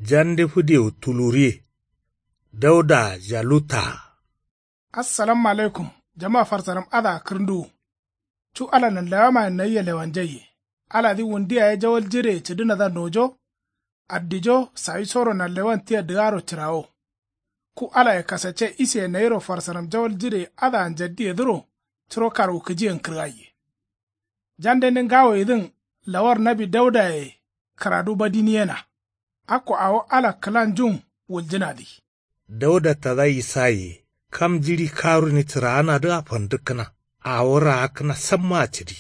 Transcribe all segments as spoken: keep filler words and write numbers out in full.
Jande fǝdewu tuluriye. Daudaa jalutaa. Assalamu alaikum. Jama farsaram adǝa kǝrǝnduwu. Cu ala nanlewamayen nayia lewanjaiye. Aladǝ wundu yaye jawal jireye cǝdǝnadǝa nojo. Addijo sawisoro nanlewan tia dǝgaro cǝrawo. Ku alaye kasacce iseye nayiro farsaram jawal jireye adǝa njaddiyedǝro. Curo karwukǝjiyen kǝrgaiye. Jandende ngawoyedǝn lawar nawi daudaye kǝradu badiniyena. Akko awo ala kǝlanjun wuljǝnadǝ. Dauda tada isaye kam jiɍi karuni cǝraanadǝa fandǝkkǝna. Awo raakkǝna sammaa cǝdi.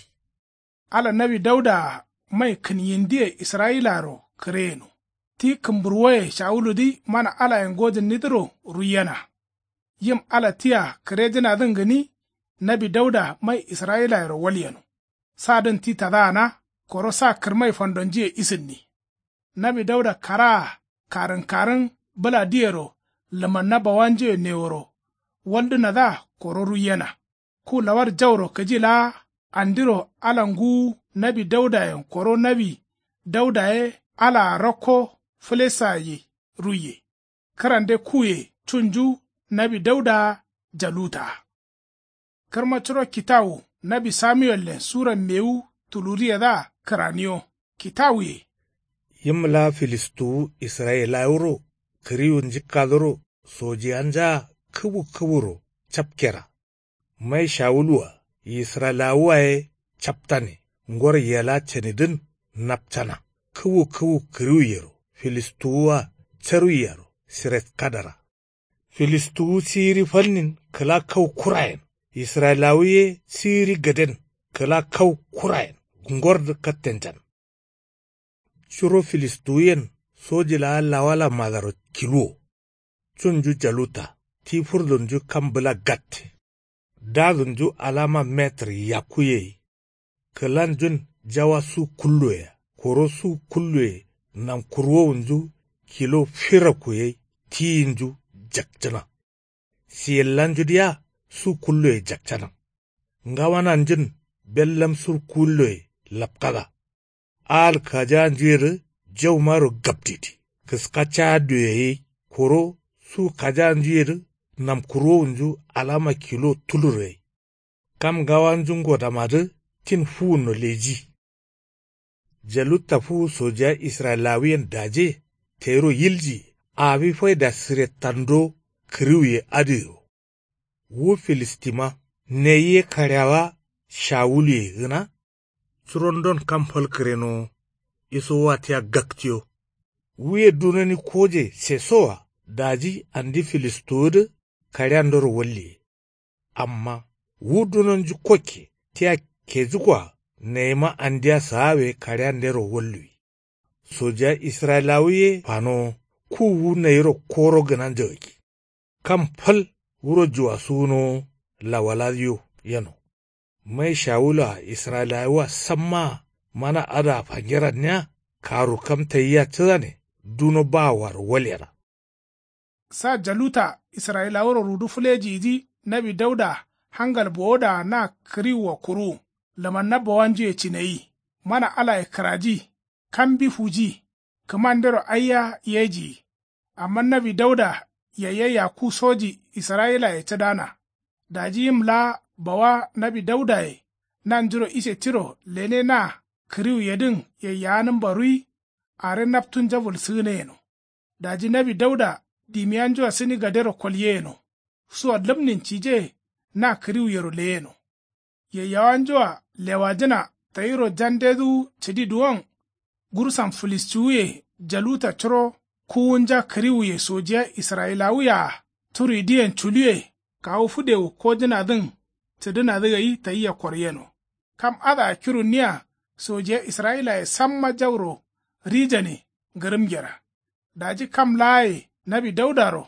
Ala nawi daudaa mai kǝnyindiye israyilayero kǝreyeno. Ti kǝmburwoye shawuludǝ mana alayen gojǝnnidǝro ruiyena. Yim ala tia kǝrejǝnadǝn gǝni. Nawi dauda mai israyilayero walyeno. Sadǝn ti tadaana. Koro sa kǝrmai fandonjuye isǝnni. Nawi dauda karaa karǝnkarǝn bǝladǝyero lǝmanna bawanjuye neworo. Waldǝnadǝa koro ruiyena. Ku lawar jauro kǝji laa andiro ala nguwu nawi daudayen koro nawi dauda ye alaa rakko fǝlesayye ruiye. Kǝrande kuye cunju nawi daudaa jalutaa. Kǝrma curo kitawu nawi samuwellen sura mewu tuluriyedǝa kǝraniyo. Kitawuye. Yim laa filistuwu israyilawuro kǝriwu njikkadǝro sojiyanja kǝwu kǝwuro capkera. Mai shawulwa israyilawuwa ye captane. Ngoro yela canidǝn napcana. Kǝwu kǝwu kǝriwuyero filistuwuwa caruiyero siretkadara. Filistuwu siiri falnin kǝla kau kurayen. Israyilawu ye siiri gǝden kǝla kau kurayen. Ngordǝ kattenjan. Curo filistuwuyen soji laa lawala madaro kiluwo. Cunju jaluta ti furdunju kam bǝla gatte. Dadunju alama metǝr yakku yei. Kǝlanjun jawa su kulluwea koro su kulluwe namkurwowunju kilo firakku yei tiyinju jakcǝna. Siyellanju diya su kulloye jakcana. Ngawananjun bellam sur kulloye lapkada. Ahal kajaanjuyedǝ jaumaro gabdidi kǝska caadduye gai. Koro su kajaanjuyedǝ namkurwowunju alama kilo tulur gai. Kam ngawanju ngodamadǝ tin fuwunno leji. Jalutta fuwu sojiya israyilawuyen daje tayiro yiljiye. Awi faida sirettando kǝriwuye adǝyero. Wu filistima neyi ye kaɍeawa shawuluye gǝna. Curondon kam fal kǝrenowo isowa tia gaktiyo. Wuye dunoni koje sesowa daji andi filistuwudǝ kaɍeandoro walliye. Amma wu dunonju kokke tia kejukkoa nayima andia saawe kaɍeandero walluwi. Sojiya israyilawu ye fanowo ku wu nayiro koro gǝnanja gakki. Kam fal wuro juwasuwunowo lawaladiyo yeno. Mai shawulua israyilawua sammaa mana adǝa fangeranniya karu kam tayia cǝdane duno bawaro walyena. Sa jaluta israyilawuro rudu fǝlejiyidǝ nawi dauda hangal bowodaa na kǝriwua kuruwu. Lǝmanna bawanjuye cinayi mana alaye kǝraji. Kambi fuji kǝmandero aiya yejiyi. Amma nawi dauda yayye yakku soji israyilaye cǝdana. Daji yim laa bawa nawi daudaye nanjuro ise tiro lene na kǝriwuyedǝn yayyawanǝmba rui. Are naptunja wulsǝgǝneyeno. Daji nawi dauda dimiyanjua sǝni gadero kolyeyeno. Sua lǝmnin cije na kǝriwuyero leyeno. Yayyawanjua lewajǝna tayiro jandedǝwu cǝdi duwon. Gursan filistiwuye jaluta curo kuwunja kǝriwuye sojiya israyilawuye-a turidǝyen culuye kawu fǝdewu kojǝnadǝn cǝdǝnadǝ gai tayia koryeno. Kam adǝa kirunniya sojiya israyilaye samma jauro rijane ngǝrǝmgera. Daji kam laaye nawi daudaro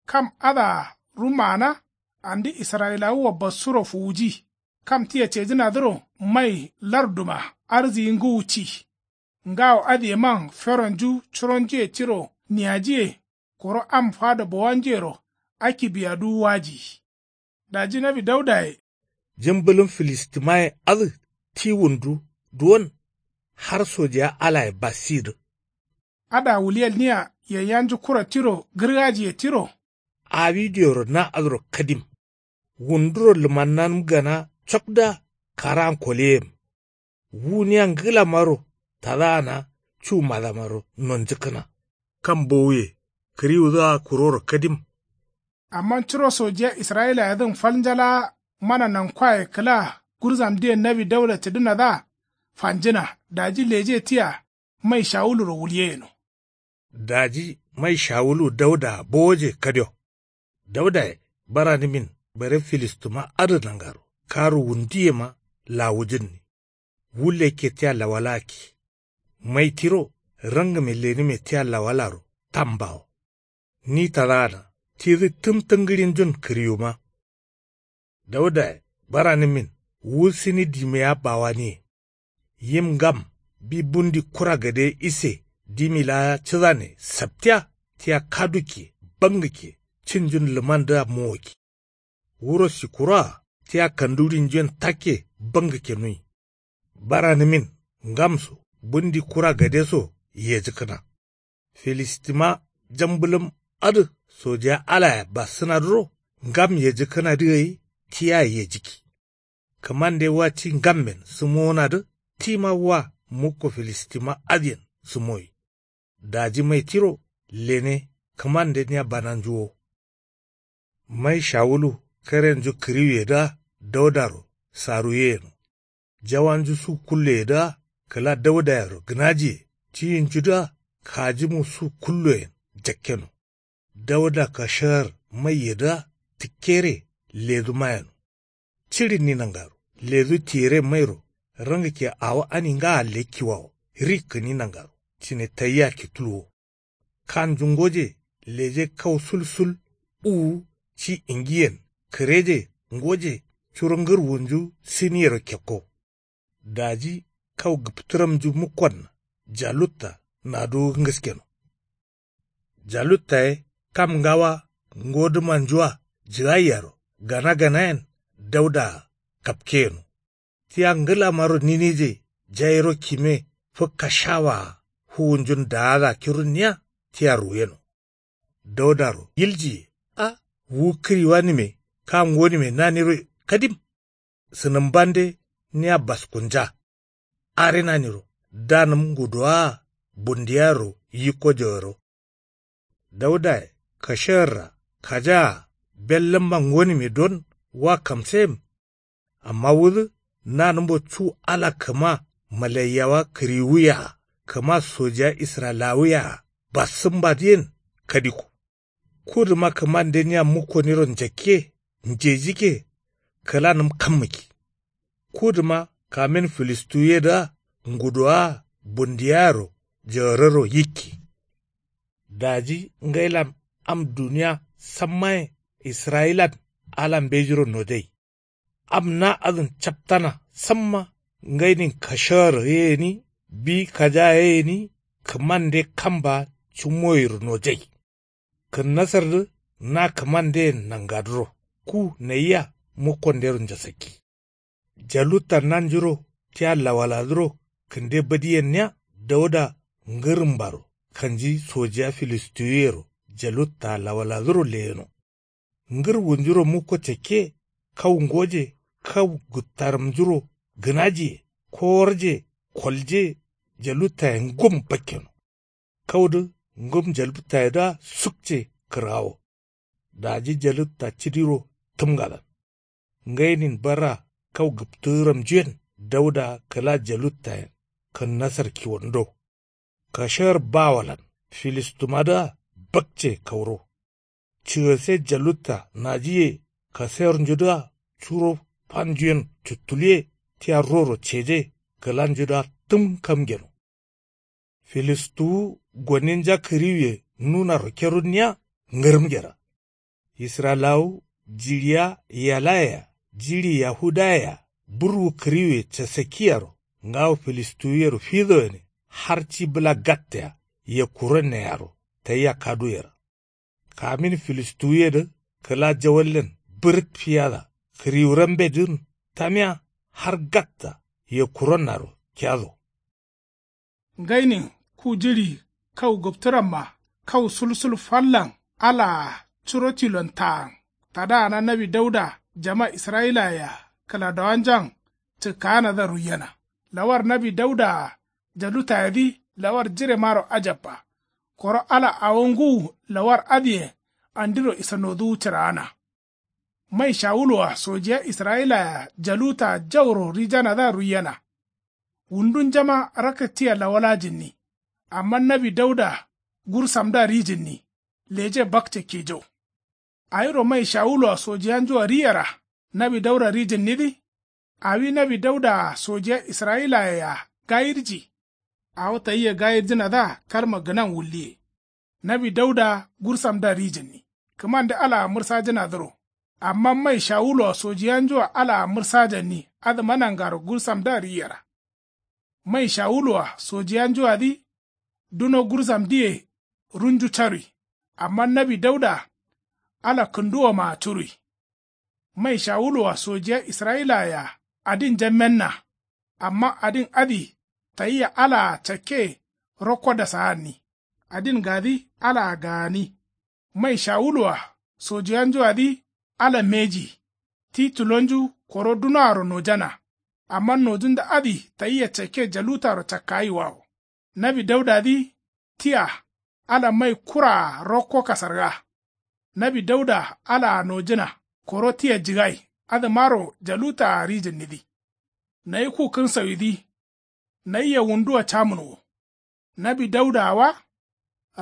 kam adǝa rumaana andi israyilawua bassuro fuwuji. Kam tia cejǝnadǝro mai larduma arziyi ngǝwu ci. Ngawo adǝyeman feronju curonjuye tiro niyajiye. Koro am fado bowanjuyero akibiyadu wajiyi. Daji nawi daudaye. Jǝmbǝlǝm filistimaye adǝ ti wundu duwon har sojiya alaye bassidǝ. Adǝa wuliyelniya yaiyanju kura tiro gǝrgajiye tiro. Awi dioro na adǝro kadim. Wunduro lǝmannanǝm gana cokdǝa karaan koleyem. Wu nia ngǝlamaro tadaana cu madamaro nonjǝkkǝna. Kam bowuye kǝriwudǝa kuroro kadim. Amma curo sojiya israyilayedǝn fal njalawa mana nankwaye kǝla gurzamdiyen nawi dauda cǝdǝnadǝa fanjǝna. Daji leje tia mai shawuluro wulye yeno. Daji mai shawulu daudaa bowoje kadio. Daudaye baranǝmin bare filistuma adǝ nangaro karu wunduyema lawujǝnni. Wu lekke tia lawalakki. Mai tiro rangǝme lenǝme tia lawalaro tambawo. Ni tadaana tidǝ tǝm tǝngǝrinjun kǝriwuma. Daudaye baranǝmin wu sǝni dimiya bawaniye. Yim ngam bi bundi kura gade ise dimi laa cǝdane saptiya tia kadukke bangǝkke cinjun lǝmandǝa mowokki. Wuro sikkuroa tia kandurinjuyen takke bangǝkke nuyi. Baranǝmin ngamso bundi kura gadeso yejǝkkǝna. Filistima jambǝlǝm adǝ sojiya alaya bassǝnadǝro ngam yejǝkkǝnadǝ gai tia yejǝkki. Kǝmande wa ti ngammen sǝmowonadǝ tima wa mukko filistima adǝyen sǝmowi. Daji mai tiro lene kǝmande nia bananju wo. Mai shawulu karenju kǝriwuyedǝa daudaro saruye yeno. Jawanju su kulloyedǝa kǝla daudayero gǝnajiye tiyinjudǝa kajimu su kulloyen jakkeno. Dauda kashar maiyedǝa tǝkkere leduma yeno. Ciɍinni nangaro ledu tiyere mairo rangǝkke awo ani ngaa lekkiwawo rikkǝni nangaro cine tayia kitulwo. Kanju ngoje leje kau sulsul uwu ci ingiyen kǝreje ngoje curo ngǝrwunju sǝniyero kekko. Daji kau gǝptǝramnju mukkonna jalutta naduwu ngǝskeno. Jalutta ye kam ngawa ngodǝmanjua jǝgaiyaro gana ganayen daudaa kapke yeno. Tia ngǝlamaro ninije jairo kime fǝkka shawaa fuwunjun daada kirunniya tia ruweno. Daudaro yiljiye a wu kǝriwanǝme ka ngonǝme naniro kadim. Sǝnǝmbande nia baskunja. Are naniro danǝm nguduwaa bundiyaro yikko jawaro. Daudaye kashayarra kajaa bellǝmma ngonǝme don wa kamseyem. Amma wudǝ nanǝmbo cu ala kǝma malaiyawa kǝriwuye-a kǝma sojiya israyilawuye-a bassǝmbadǝyen kadikko. Kudǝma kǝmande nia mukkoniro njakke njejikke kǝlanǝm kammǝkki. Kudǝma kamin filistiwuyedǝa nguduwaa bundiyayero jawararo yikki. Daji ngailan am duniya sammaye israyilan ala mbejiro nojai. Am na adǝn captana samma ngainin kashagaro ye gǝni bi kajaga ye gǝni kǝmande kamba cǝmmoyiro nojai. Kǝnnasardǝ na kǝmandeyen nangadǝro ku nayia mukkondero njasakki. Jalutta nanjuro tia lawaladǝro kǝnde badiyenniya dauda ngǝrǝmbaro kanji sojiya filistiwuyero jalutta lawaladǝro leyeno. Ngǝrwunjuro mukko cakke kau ngoje kau gǝttarǝmnjuro gǝnajiye koworje kolje jaluttaye ngum bakkeno. Kaudǝ ngum jaluttayedǝa sukce kǝrgawo. Daji jalutta cǝdiro tǝmgalan ngainin barra kau gǝptǝgǝramnjuyen dauda kǝla jaluttayen kǝnnasar kiwondo. Kashar bawolan filistumadǝa bakce kauro. Cigase jalutta najiye kasayornjudǝa curo fanjuyen cuttuluwe tia roro ceje kǝlanjudǝa tǝm kam geno. Filistuwu goninja kǝriwuye nunaro kerunniya ngǝrǝmgera. Israyilawu jiɍiya yalaye-a jiɍi yahudaye-a burwu kǝriwuye casakkiyaro ngawo filistiwuyero fido gǝne har ci bǝla gattea yekkuronne yaro tayia kaduwera. Kamin filistiwuyedǝ kǝla jawallen bǝrǝt fiyada kǝriwurambedǝn tamiya har gatta yekkuronnaro kiyado. Ngainin ku jiɍi kau gǝptǝramma kau sulsul fallan alaa curo tilon taan tadaana nawi dauda jama israyilaye-a kǝladowanjan cǝkkaanadǝa ruiyena. Lawar nawi daudaa jalutayedǝ lawar jiremaro ajabba. Koro ala awo ngǝwu lawar adǝyen andiro isanoduwu cǝraana. Mai shawulu-a sojiya israyila-a jaluta jauro rijanadǝa ruiyena. Wundunjama rakka tia lawalajinni. Amma nawi dauda gursamdǝa rijinni. Leje bakce kijo. Awiro mai shawulu-a sojiyanju-a riyera nawi dauda rijinnidǝ. Awi nawi dauda-a sojiya israyilaye-a gayirji. Awo tayia gayirjǝnadǝa kalma gǝnan wulliye. Nawi dauda gursamdǝa rijǝnni. Kǝmande alaa mǝrsajǝnadǝro. Amma mai shawulu-a sojiyanju-a alaa mǝrsajanni adǝma nangaro gursamdǝa riyera. Mai shawulu-a sojiyanju-adǝ duno gursamdǝye runju carui. Amma nawi dauda ala kǝnduwomaa curui. Mai shawulu-a sojiya israyilaye-a adinja menna. Amma adin adǝ tayia alaa cakke rokko dasaanni. Adin gadǝ alaa gaani. Mai shawulu-a sojiyanju-adǝ ala mbeji. Ti tulonju koro dunoaro nojana. Amma nojunda adǝ tayia cakke jalutaro cakkayiwawo. Nawi daudadǝ tia ala mai kuraa rokko kasarga. Nawi dauda alaa nojǝna koro tia jigai. Adǝmaro jalutaa rijǝnnidǝ. Nayi ku kǝnsawidǝ. Nayia wundua camǝnwo. Nawi daudaa wa.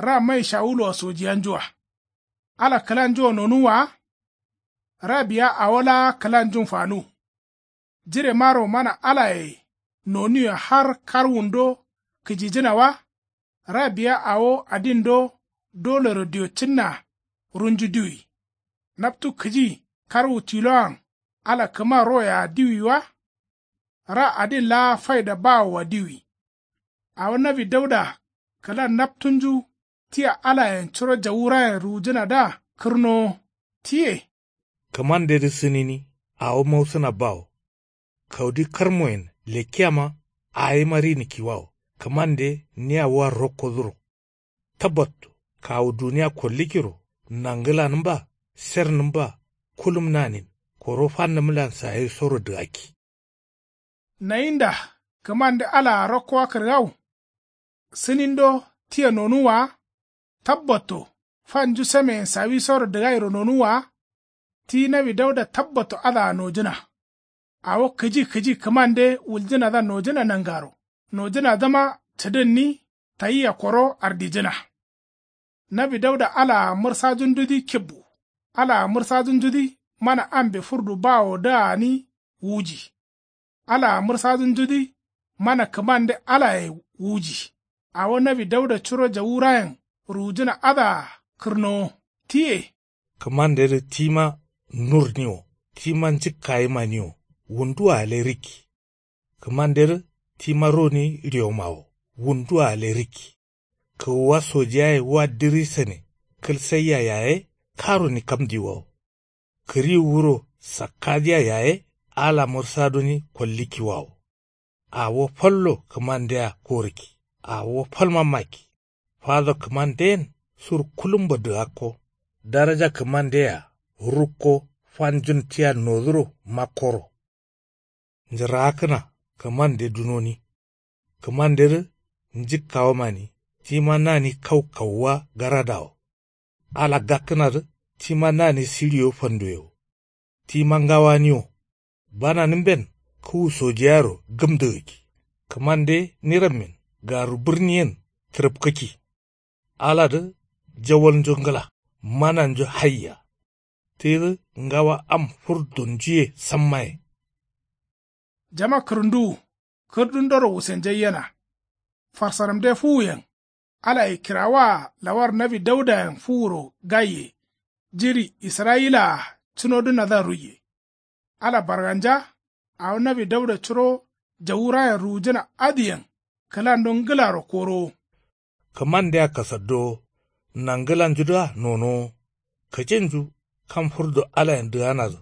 Ra mai shawulu-a sojiyanju-a. Ala kǝlanju-a nonuwwa wa. Ra biya awo laa kǝlanjun fanuwu. Jiremaro mana alaye nonuwe har kar wundo kǝjijǝna wa. Ra biya awo adindo dolero diyo cǝnna runju diwi. Naptu kǝji karwu tiloan ala kǝma roye-a diwi wa. Ra adin laa faida bawowa diwi. Awo nawi dauda kǝla naptunju tia alayen curo jawurayen ruwujǝnadǝa kǝrnowo. Tiye. Kǝmandedǝ sǝnini awo mausǝna bawo. Kaudi karmoyen lekkiyama awima rinikkiwawo. Kǝmande nia wa rokkodǝro. Tabbatto kawu duniya kollikkiro nangǝlanǝmba sernǝmba kulum nanin koro fannǝmlan sayisoro dǝgakki. Nayinda kǝmande alaa rokkowa kǝrgawu. Sǝnindo tia nonuwwa wa. Tabbatto fanju sameyen sawisoro dǝgairo nonuwwa wa. Ti nawi dauda tabbatto adǝa nojǝna. Awo kǝji kǝji kǝmande wuljǝnadǝa nojǝna nangaro nojǝnadǝma cǝdǝnni. Tayia koro ardijǝna. Nawi dauda alaa mǝrsajundudǝ kibbu. Alaa mǝrsajundudǝ mana ambe furdu bawodǝa gǝni wuji. Alaa mǝrsajundudǝ mana kǝmande alaye wuji. Awo nawi dauda curo jawurayen ruwujǝna adǝa kǝrnowo. Tiye. Kǝmandedǝ tima nurniwo. Tima njǝkkayimaniwo. Wunduwa gǝle rikki. Kǝmandedǝ tima roni riyomawo. Wunduwa gǝle rikki. Kǝgǝwa sojiyaye wa diri sane kǝl saiya yaye karoni kamdiwawo. Kǝriwu wuro sakkadiya yaye ala mǝrsadoni kollikkiwawo. Awo fallo kǝmandea korǝkki. Awo falma makki. Fado kǝmanden sur kulumbo dǝgakko. Daraja kǝmandea rukko fanjun tia noduro makkoro. Njǝraakkǝna kǝmande dunoni. Kǝmandedǝ njǝkkawomani tima nani kau kauwa garadawo. Ala gakkǝnadǝ tima nani siɍiyo fanduyewo. Tima ngawaniwo. Bananǝmben kǝwu sojiyayero gǝmdǝgǝkki. Kǝmande nirammin garu bǝrniyen tǝrǝpkǝkki. Aladǝ jawalnju ngǝla mananju haiya. Tidǝ ngawa am furdunjuye sammaye. Jama kǝrǝnduwu kǝrdundoro wusenjaiyena. Farsaramde fuwuyen alaye kirawaa lawar nawi daudayen fuwuro gaiye. Jiɍi israyilaa cunodǝnadǝa ruiye. Ala barganja awo nawi dauda curo jawurayen ruwujǝna adǝyen kǝlando ngǝlaro korowo. Kǝmandea kasaddowo nangǝlanjudǝa nonowo. Kǝjinju kam furdo alayen dǝganadǝ